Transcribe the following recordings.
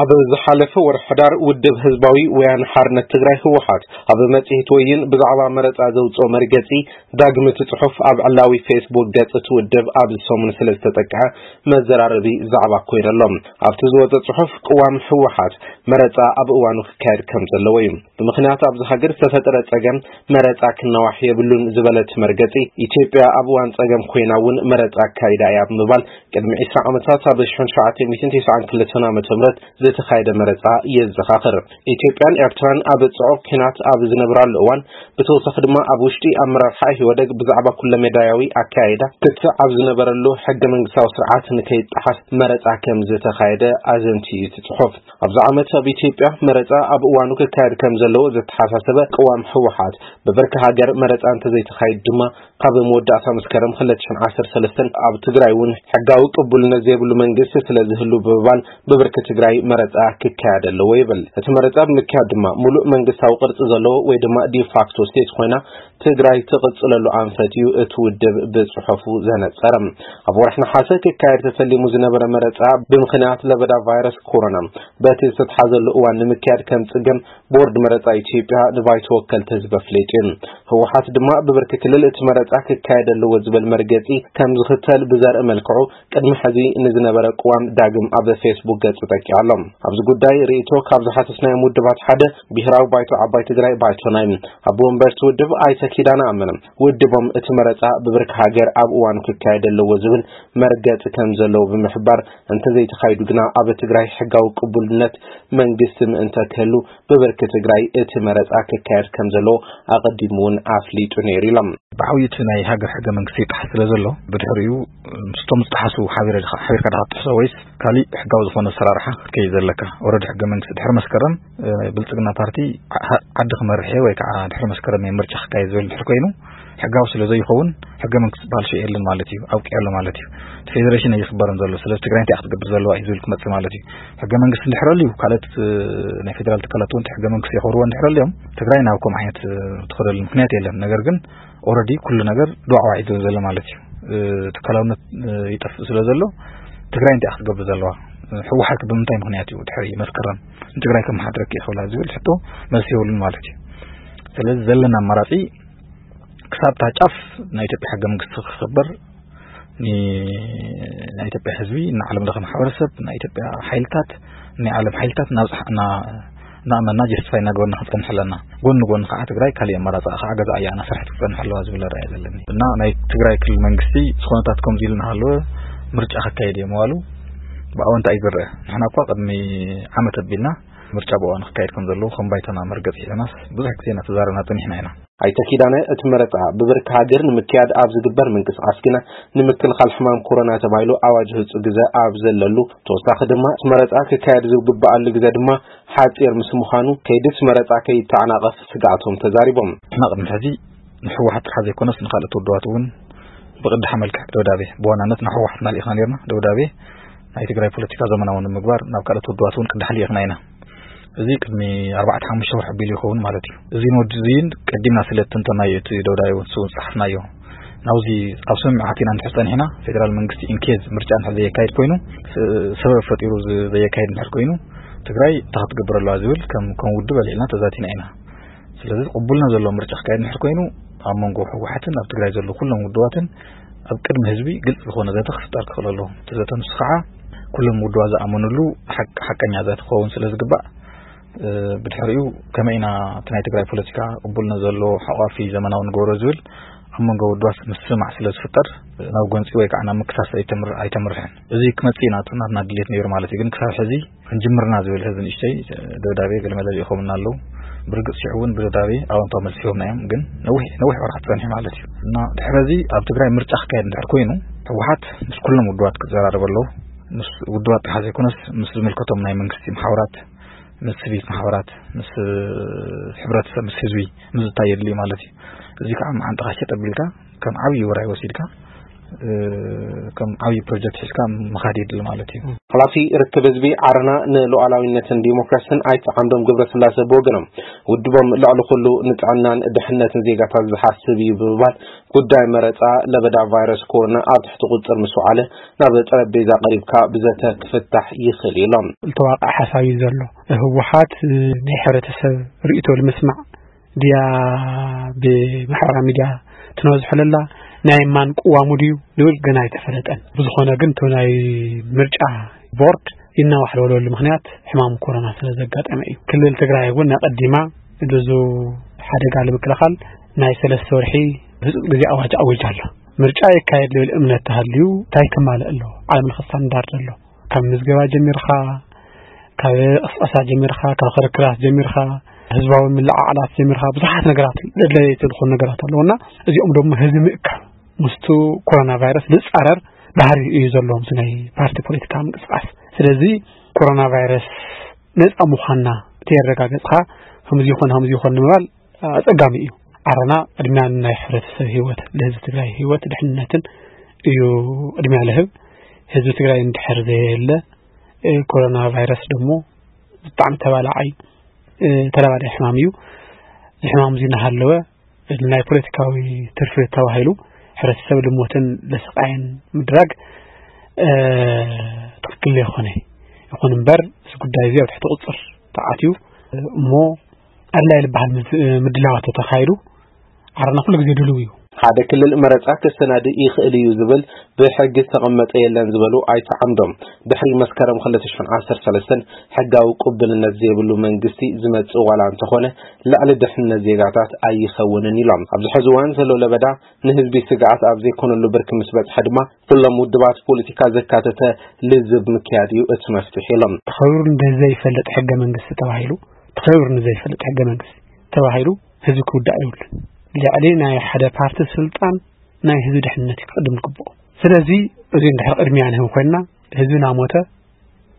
ኣብ ዝሓለፈ ወርሒ ሕዳር ውድብ ህዝባዊ ወያነ ሓርነት ትግራይ ህወሓት ኣብ መጽሔት ወይን ብዛዕባ መረጻ ዘውጽኦ መርገጺ ዳግም እቲ ጽሑፍ ኣብ ዕላዊ ፌስቡክ ገጽ እቲ ውድብ ኣብዚ ሰሙን ስለ ዝተጠቅዐ መዘራረቢ ዛዕባ ኮይኑ ኣሎ። ኣብቲ ዝወጸ ጽሑፍ ቅዋም ህወሓት መረጻ ኣብ እዋኑ ክካየድ ከም ዘለዎ እዩ። ብምኽንያት ኣብዚ ሃገር ዝተፈጠረ ጸገም መረጻ ክናዋሕ የብሉን ዝበለ እቲ መርገጺ፣ ኢትዮጵያ ኣብ እዋን ጸገም ኮይና እውን መረጻ ኣካይዳ እያ ብምባል ቅድሚ ዕስራ ዓመታት ኣብ ሺሕ ሸውዓተ ሚእትን ተስዓን ክልተን ዓመተ ምህረት ዝተኻየደ መረጻ የዘኻኽር። ኢትዮጵያን ኤርትራን ኣብ ጽዑቕ ኲናት ኣብ ዝነብራሉ እዋን፣ ብተወሳኺ ድማ ኣብ ውሽጢ ኣመራርሓ ኢህወደግ ብዛዕባ ኩለመዳያዊ ኣካያይዳ ክትዕ ኣብ ዝነበረሉ ሕገ መንግስታዊ ስርዓት ንከይጠሓስ መረጻ ከም ዝተኻየደ ኣዘንትዩ እቲ ጽሑፍ። ኣብዚ ዓመት ኣብ ኢትዮጵያ መረጻ ኣብ እዋኑ ክካየድ ከም ዘለዎ ዘተሓሳሰበ ቅዋም ህወሓት፣ ብብርኪ ሃገር መረጻ እንተዘይተኻይድ ድማ ካብ መወዳእታ መስከረም ክልተ ሽሕን ዓሰርተ ሰለስተን ኣብ ትግራይ እውን ሕጋዊ ቅቡልነት ዘይብሉ መንግስቲ ስለ ዝህሉ ብምባል ብብርኪ ትግራይ መረጻ ክካየድ ኣለዎ ይብል። እቲ መረጻ ብምክያድ ድማ ሙሉእ መንግስታዊ ቅርጺ ዘለዎ ወይ ድማ ዲፋክቶ ስቴት ኮይና ትግራይ ትቕጽለሉ ኣንፈት እዩ እቲ ውድብ ብጽሑፉ ዘነጸረ። ኣብ ወርሒ ነሓሰ ክካየድ ተሰሊሙ ዝነበረ መረጻ ብምኽንያት ለበዳ ቫይረስ ኮሮና በቲ ዝተትሓዘሉ እዋን ንምክያድ ከም ጽገም ቦርድ መረጻ ኢትዮጵያ ንባይቶ ወከልቲ ህዝቢ ኣፍሊጡ እዩ። ህወሓት ድማ ብብርኪ ክልል እቲ መረጻ ክካየድ ኣለዎ ዝብል መርገጺ ከም ዝኽተል ብዘርኢ መልክዑ ቅድሚ ሕዚ ንዝነበረ ቅዋም ዳግም ኣብ ፌስቡክ ገጹ ጠቂዑ ኣሎ። ኣብዚ ጉዳይ ርእይቶ ካብ ዝሓተትናዮም ውድባት ሓደ ብሄራዊ ባይቶ ዓባይ ትግራይ ባይቶና እዩ። ኣብ ወንበርቲ ውድብ ኣይተ ኪዳነ ኣመነ ውድቦም እቲ መረጻ ብብርኪ ሃገር ኣብ እዋኑ ክካየድ ኣለዎ ዝብል መርገጺ ከም ዘለዎ ብምሕባር እንተዘይተኻይዱ ግና ኣብ ትግራይ ሕጋዊ ቅቡልነት መንግስቲ ምእንተ ክህሉ ብብርኪ ትግራይ እቲ መረጻ ክካየድ ከም ዘለዎ ኣቐዲሙ እውን ኣፍሊጡ ነይሩ ኢሎም። ብዓብዩ እቲ ናይ ሃገር ሕገ መንግስቲ ይጠሓስ ስለ ዘሎ ብድሕሪኡ ምስቶም ዝጠሓሱ ሓቢረ ድኻ- ሓቢርካ ድኻ ትጥሕሶ ወይስ ካሊእ ሕጋዊ ዝኾነ ኣሰራርሓ ክትከይድ ዘለካ? ኦረዲ ሕገ መንግስቲ ድሕሪ መስከረም እ፣ ብልጽግና ፓርቲ ዓ- ዓዲ ክመርሕ እየ ወይ ከዓ ድሕሪ መስከረም እየ ምርጫ ክካየድ ዝብል ድሕር ኮይኑ ሕጋዊ ስለ ዘይኸውን ሕገ መንግስቲ ዝበሃል ሽእ የለን ማለት እዩ፣ ኣብቂዑ ኣሎ ማለት እዩ። እቲ ፌዴሬሽን ኣይኽበርን ዘሎ፣ ስለዚ ትግራይ እንታይ ክትገብር ዘለዋ እዩ ዝብል ክመጽእ ማለት እዩ። ሕገ መንግስቲ እንድሕር ኣልዩ ካልኦት እ፣ ናይ ፌዴራል ትካላት እውን ሕገ መንግስቲ የኽብርዎ እንድሕር ኣልዮም ትግራይ ናብ ከምኡ ዓይነት እ፣ ትኸደሉ ምክንያት የለን። ነገር ግን ኦረዲ ኩሉ ነገር ዱዓዋዒ ዝብል ዘሎ ማለት እዩ። እ፣ ትካላውነት እ፣ ይጠፍእ ስለ ዘሎ ትግራይ እንታይ ክትገብር ዘለዋ? እ፣ ህወሓት ብምንታይ ምክንያት እዩ ድሕሪ መስከረም ንትግራይ ከመሓድረኪ ይኽእላ ዝብል ሕቶ መልሲ የብሉን ማለት እዩ። ስለዚ ዘለና ኣማራፂ ክሳብ እታ ጫፍ ናይ ኢትዮጵያ ሕገ መንግስቲ ክኽበር፣ ን- ናይ ኢትዮጵያ ህዝቢ፣ ንዓለም ለኸ ማሕበረሰብ፣ ናይ ኢትዮጵያ ሓይልታት፣ ናይ ዓለም ሓይልታት እናብፅሓ- እና- እናእመና ጀስቲፋይ እናገበርና ክንፀንሕ ኣለና። ጎኒ ጎኒ ከዓ ትግራይ ካሊእ ኣማራፂ ከዓ ገዛ እያ እናሰርሐት ክትፀንሕ ኣለዋ ዝብል ኣረኣእያ ዘለኒ እና ናይ ትግራይ ክልል መንግስቲ ዝኾነታት ከምዚ ኢሉ እናሃለወ ምርጫ ከካየድ እየ ምባሉ ብኣወንታ እዩ ዝረአ። ንሕና እኳ ቅድሚ ዓመት ኣቢልና ምርጫ ብእዋኑ ክካየድ ከም ዘለዎ ከም ባይቶና መርገፂ ሒዘናስ ብዙሕ ግዜ እናተዛረብና ፀኒሕና ኢና። ኣይተ ኪዳነ፣ እቲ መረፃ ብብርኪ ሃገር ንምክያድ ኣብ ዝግበር ምንቅስቃስ ግና ንምክልኻል ሕማም ኮሮና ተባሂሉ ኣዋጅ ህፁ ግዘ ኣብ ዘለሉ፣ ተወሳኺ ድማ እቲ መረፃ ክካየድ ዝግበኣሉ ግዘ ድማ ሓፂር ምስ ምዃኑ ከይዲ እቲ መረፃ ከይተዓናቐፍ ስግኣቶም ተዛሪቦም። ንሕና ቅድሚ ሕዚ ንሕወሓት ጥራሕ ዘይኮነስ ንካልኦት ውድባት እውን ብቅዳሕ መልክዕ ደብዳቤ፣ ብዋናነት ንሕወሓት እናልኢኽና ነርና ደብዳቤ ናይ ትግራይ ፖለቲካ ዘመናዊ ንምግባር ናብ ካልኦት ውድባት እውን ቅዳሕ ልኢኽና ኢና። እዚ ቅድሚ ኣርባዕተ ሓሙሽተ ወርሒ ኣቢሉ ይኸውን ማለት እዩ። እዚ ንወዲ እዚን ቀዲምና ስለ እትንተናዮ እቲ ደብዳቤ እውን ስውን ጸሓፍናዮ። ናብዚ ኣብ ስምምዕ ኣቲና እንድሕር ጸኒሕና ፌደራል መንግስቲ ኢንኬዝ ምርጫ እንድሕር ዘየካይድ ኮይኑ ስ- ሰበብ ፈጢሩ ዝ- ዘየካይድ እንድሕር ኮይኑ ትግራይ እንታይ ክትገብር ኣለዋ ዝብል ከም ከም ውድብ ኣልዒልና ተዛቲና ኢና። ስለዚ ቅቡልነት ዘለዎ ምርጫ ክካየድ እንድሕር ኮይኑ ኣብ መንጎ ህወሓትን ኣብ ትግራይ ዘለዉ ኩሎም ውድባትን ኣብ ቅድሚ ህዝቢ ግልፂ ዝኾነ ዘተ ክፍጠር ክኽእል ኣለዎ። እቲ ዘተ ንሱ ከዓ ኩሎም ውድባት ዝኣመኑሉ ሓቅ- ሓቀኛ ዘተ ክኸውን ስለ ዝግባእ ብድሕሪኡ ከመይ ኢና እቲ ናይ ትግራይ ፖለቲካ ቅቡልነት ዘለዎ ሓቋፊ ዘመናዊ ንገብሮ ዝብል ኣብ መንጎ ውድባት ምስማዕ ስለ ዝፍጠር ናብ ጎንፂ ወይ ከዓ ናብ ምክሳስ ኣይተምር- ኣይተምርሕን። እዚ ክመፅእ ኢና ናትና ድሌት ነይሩ ማለት እዩ። ግን ክሳብ ሕዚ ክንጅምርና ዝብል ሕዚ ንእሽተይ ደብዳቤ ገለመለ ልኢኾምና ኣለዉ። ብርግፅ ሽዑ እውን ብደብዳቤ ኣወንታዊ መልሲ ሂቦምና እዮም። ግን ነዊሕ ነዊሕ ወርሓት ፀኒሑ ማለት እዩ እና ድሕሪ እዚ ኣብ ትግራይ ምርጫ ክካየድ እንድሕር ኮይኑ ህወሓት ምስ ኩሎም ውድባት ክዘራረብ ኣለዎ። ምስ ውድባት ጥራሕ ዘይኮነስ ምስ ዝምልከቶም ናይ መንግስቲ ማሕበራት ምስ ስቪክ ማሕበራት ምስ ሕብረተሰብ ምስ ህዝቢ ምዝታይ የድልዩ ማለት እዩ። እዚ ከዓ መዓንጥኻ ሸጥ ኣቢልካ ከም ዓብዪ ውራይ ወሲድካ ከም ዓብዪ ፕሮጀክት ሒዝካ ምኻድ የድሊ ማለት እዩ። ሓላፊ ርክብ ህዝቢ ዓረና ንሉዓላዊነትን ዲሞክራሲን ኣይተ ዓምዶም ገብረስላሴ ብወገኖም፣ ውድቦም ልዕሊ ኩሉ ንጥዕናን ድሕነትን ዜጋታት ዝሓስብ እዩ ብምባል፣ ጉዳይ መረፃ ለበዳ ቫይረስ ኮሮና ኣብ ትሕቲ ቁፅር ምስ ወዓለ፣ ናብ ጠረጴዛ ቀሪብካ ብዘተ ክፍታሕ ይኽእል እዩ ኢሎም። ዝተዋቕዐ ሓሳብ እዩ ዘሎ። ህወሓት ናይ ሕብረተሰብ ርእይቶ ንምስማዕ ድያ ብማሕበራዊ ሚድያ ትነዝሖ ለላ? ናይ ማን ቅዋሙ ድዩ ዝብል ገና ኣይተፈለጠን። ብዝኾነ ግን እቲ ናይ ምርጫ ቦርድ ይናዋሕ ዝበለሉ ምኽንያት ሕማም ኮሮና ስለ ዘጋጠመ እዩ። ክልል ትግራይ እውን ኣቐዲማ ብዙ ሓደጋ ንምክልኻል ናይ ሰለስተ ወርሒ ህፁፅ ግዜ ኣዋጅ ኣዊጃ ኣሎ። ምርጫ ይካየድ ዝብል እምነት ተሃልዩ እንታይ ክማልእ ኣለዎ? ዓለም ለኸ ስታንዳርድ ኣሎ። ካብ ምዝገባ ጀሚርካ፣ ካብ ቅስቀሳ ጀሚርካ፣ ካብ ክርክራት ጀሚርካ፣ ህዝባዊ ምልዓዓላት ጀሚርካ፣ ብዙሓት ነገራት ኣድለይቲ ዝኾኑ ነገራት ኣለውና፣ እዚኦም ደሞ ህዝቢ ምእካብ ምስቱ ኮሮና ቫይረስ ዝፃረር ባህሪ እዩ ዘለዎም፣ እዚ ናይ ፓርቲ ፖለቲካ ምንቅስቃስ። ስለዚ ኮሮና ቫይረስ ነፃ ምዃንና ተየረጋገፅካ፣ ከምዚ ይኾን፣ ከምዚ ይኾን ንምባል ኣፀጋሚ እዩ። ዓረና ቅድሚያ ናይ ሕብረተሰብ ህይወት፣ ለህዝቢ ትግራይ ህይወት ድሕንነትን እዩ ቅድሚያ ለህብ። ህዝቢ ትግራይ እንድሕር ዘየለ፣ እ፣ ኮሮና ቫይረስ ደሞ ብጣዕሚ ተባላዓይ፣ እ፣ ተላባዳይ ሕማም እዩ። እዚ ሕማም እዚ እናሃለወ፣ ናይ ፖለቲካዊ ትርፊ ተባሂሉ ሕብረተሰብ ልሞትን ለስቃይን ምድራግ፣ እ፣ ትኽክል ዘይኮነ። ይኹን እምበር፣ እዚ ጉዳይ እዚ ኣብ ትሕቲ ቁፅር ተኣትዩ፣ እሞ ኣድላይ ዝበሃል ምድ-፣ ምድላዋት ተተኻይዱ፣ ዓረና ኩሉ ግዜ ድልው እዩ። ሓደ ክልል መረፃ ክሰናድእ ይኽእል እዩ ዝብል ብሕጊ ዝተቐመጠ የለን ዝበሉ ኣይተ ዓምዶም፣ ድሕሪ መስከረም ክልተ ሽሕን ዓሰርተ ሰለስተን ሕጋዊ ቅቡልነት ዘይብሉ መንግስቲ ዝመፅእ ዋላ እንተኾነ፣ ልዕሊ ድሕነት ዜጋታት ኣይኸውንን ኢሎም። ኣብዚ ሕዚ እዋን ዘሎ ለበዳ ንህዝቢ ስግኣት ኣብ ዘይኮነሉ ብርኪ ምስ በፅሐ ድማ፣ ኩሎም ውድባት ፖለቲካ ዘካተተ ልዝብ ምክያድ እዩ እቲ መፍትሒ ኢሎም። ተኸቢሩ ንዘይፈልጥ ሕገ መንግስቲ ተባሂሉ፣ ተኸቢሩ ንዘይፈልጥ ሕገ መንግስቲ ተባሂሉ ህዝቢ ክውዳእ የብሉን። ልዕሊ ናይ ሓደ ፓርቲ ስልጣን ናይ ህዝቢ ድሕነት እዩ ክቕድም ዝግብኦ። ስለዚ እዚ እንድሕር ቅድሚያ ንህብ ኮይንና፣ ህዝቢ እናሞተ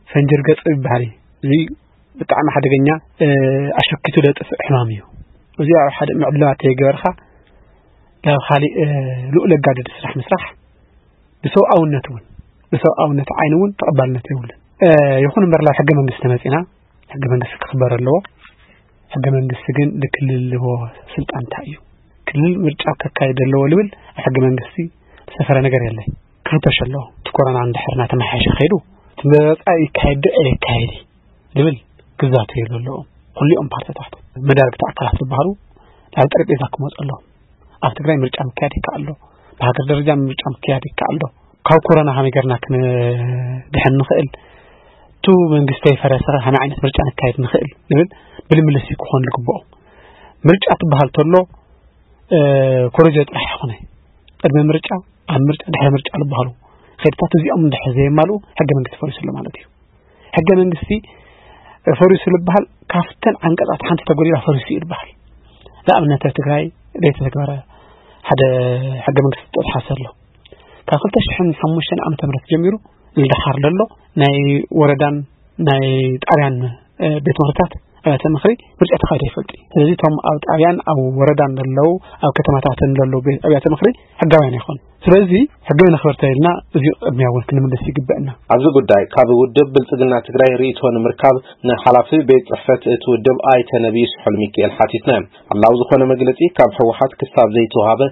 ፈንጂ ርገጽ ይበሃል እዩ። እዚ ብጣዕሚ ሓደገኛ፣ እ፣ ኣሸኪቱ ዘጥፍእ ሕማም እዩ። እዚ ኣብ ሓደ ምዕድላት ተይገበርካ ናብ ካሊእ፣ እ፣ ልኡል ኣጋድድ ስራሕ ምስራሕ ብሰብኣውነት እውን፣ ብሰብኣውነት ዓይኒ እውን ተቐባልነት የብሉን። እ፣ ይኹን እምበር ናብ ሕገ መንግስቲ ተመጺና፣ ሕገ መንግስቲ ክኽበር ኣለዎ። ሕገ መንግስቲ ግን ንክልል ዝህቦ ስልጣን እንታይ እዩ? ክልል ምርጫ ከካይድ ኣለዎ ልብል ኣብ ሕገ መንግስቲ ዝሰፈረ ነገር የለን። ክፍተሽ ኣለዎ። እቲ ኮሮና እንድሕር እናተመሓየሸ ከይዱ፣ እቲ መረጻ ይካየድ ዶ ኣይካየድ ልብል ክዛተየሉ ኣለዎም። ኩሊኦም ፓርቲታት፣ መዳርግቲ ኣካላት ዝበሃሉ ናብ ጠረጴዛ ክመፁ ኣለዎም። ኣብ ትግራይ ምርጫ ምክያድ ይከኣል ዶ? ብሃገር ደረጃ ምርጫ ምክያድ ይከኣል ዶ? ካብ ኮሮና ከመይ ጌርና ክንድሕን ንኽእል? እቲ መንግስቲ ይፈረሰ ከ ከመይ ዓይነት ምርጫ ነካይድ ንኽእል? ዝብል ምልምልስ እዩ ክኾን ዝግብኦ። ምርጫ ትበሃል ተሎ፣ እ፣ ኮረጆ ጥራሕ ኣይኮነ። ቅድመ ምርጫ፣ ኣብ ምርጫ፣ ድሕሪ ምርጫ ዝበሃሉ ከይድታት እዚኦም እንድሕር ዘየማልኡ ሕገ መንግስቲ ፈሪሱ ኣሎ ማለት እዩ። ሕገ መንግስቲ ፈሪሱ ዝበሃል ካብተን ዓንቀጻት ሓንቲ ተጎዲላ ፈሪሱ እዩ ዝበሃል። ንኣብነት ኣብ ትግራይ ዘይተተግበረ ሓደ ሕገ መንግስቲ ጥቕሓስ ኣሎ። ካብ ክልተ ሽሕን ሓሙሽተን ዓመተ ምህረት ጀሚሩ ንደሓር ዘሎ ናይ ወረዳን ናይ ጣብያን፣ እ፣ ቤት ምኽርታት ኣብያተ ምኽሪ ምርጫ ተኻይዱ ኣይፈልጥ እዩ። ስለዚ እቶም ኣብ ጣብያን ኣብ ወረዳን ዘለዉ፣ ኣብ ከተማታትን ዘለዉ ቤት ኣብያተ ምኽሪ ሕጋውያን ኣይኾኑ። ስለዚ ሕጊ ነኽብር ተኢልና እዚ ቅድሚያ እውን ክንምልስ ይግበእና። ኣብዚ ጉዳይ ካብ ውድብ ብልጽግና ትግራይ ርእይቶ ንምርካብ ንሓላፊ ቤት ጽሕፈት እቲ ውድብ ኣይተ ነብዩ ስሑል ሚካኤል ሓቲትና። ዕላዊ ዝኾነ መግለጺ ካብ ህወሓት ክሳብ ዘይተዋሃበ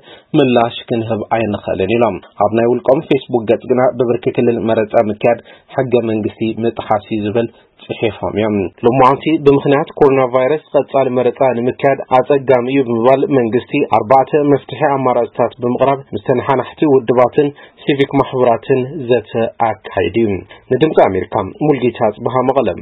ምላሽ ክንህብ ኣይንኽእልን ኢሎም። ኣብ ናይ ውልቆም ፌስቡክ ገጽ ግና ብብርኪ ክልል መረጻ ምክያድ ሕገ መንግስቲ ምጥሓስ እዩ ዝብል ጽሒፎም እዮም። ሎማዓንቲ ብምኽንያት ኮሮና ቫይረስ ቀጻሊ መረጻ ንምክያድ ኣጸጋሚ እዩ ብምባል መንግስቲ ኣርባዕተ መፍትሒ ኣማራጽታት ብምቕራብ ምስ ተነሓናሕቲ ውድባትን ሲቪክ ማሕበራትን ዘተ ኣካይዱ እዩ። ንድምፂ ኣሜሪካ ሙልጌታ ጽብሃ መቐለም።